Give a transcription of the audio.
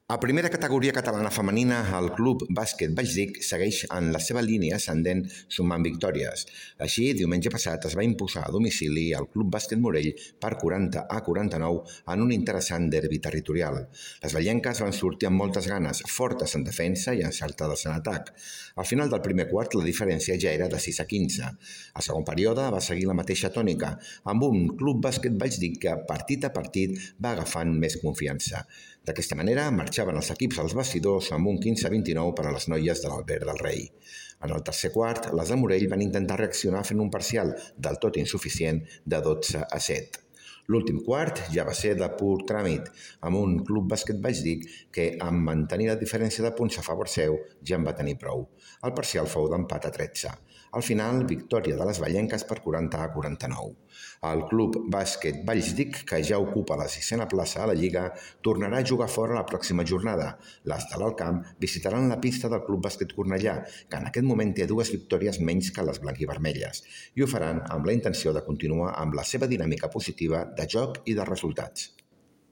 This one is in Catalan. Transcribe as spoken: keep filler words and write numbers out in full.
A primera categoria catalana femenina, el Club Bàsquet Valldic segueix en la seva línia ascendent sumant victòries. Així, diumenge passat es va imposar a domicili al Club Bàsquet Morell per quaranta a quaranta-nou en un interessant derbi territorial. Les vallenques van sortir amb moltes ganes, fortes en defensa i encertades en atac. Al final del primer quart, la diferència ja era de sis a quinze. Al segon període va seguir la mateixa tònica, amb un Club Bàsquet Valldic que partit a partit va agafant més confiança. D'aquesta manera, marxaven els equips als vestidors amb un quinze a vint-i-nou per a les noies de l'Albert del Rei. En el tercer quart, les de Morell van intentar reaccionar fent un parcial del tot insuficient de dotze a set. L'últim quart ja va ser de pur tràmit, amb un Club Bàsquet Valldic que, amb mantenir la diferència de punts a favor seu, ja en va tenir prou. El parcial fou d'empat a tretze. Al final, victòria de les vallenques per quaranta a quaranta-nou. El Club Bàsquet Valldic, que ja ocupa la sisena plaça a la Lliga, tornarà a jugar fora la pròxima jornada. Les de l'Alt Camp visitaran la pista del Club Bàsquet Cornellà, que en aquest moment té dues victòries menys que les blanquivermelles, i ho faran amb la intenció de continuar amb la seva dinàmica positiva de joc i de resultats.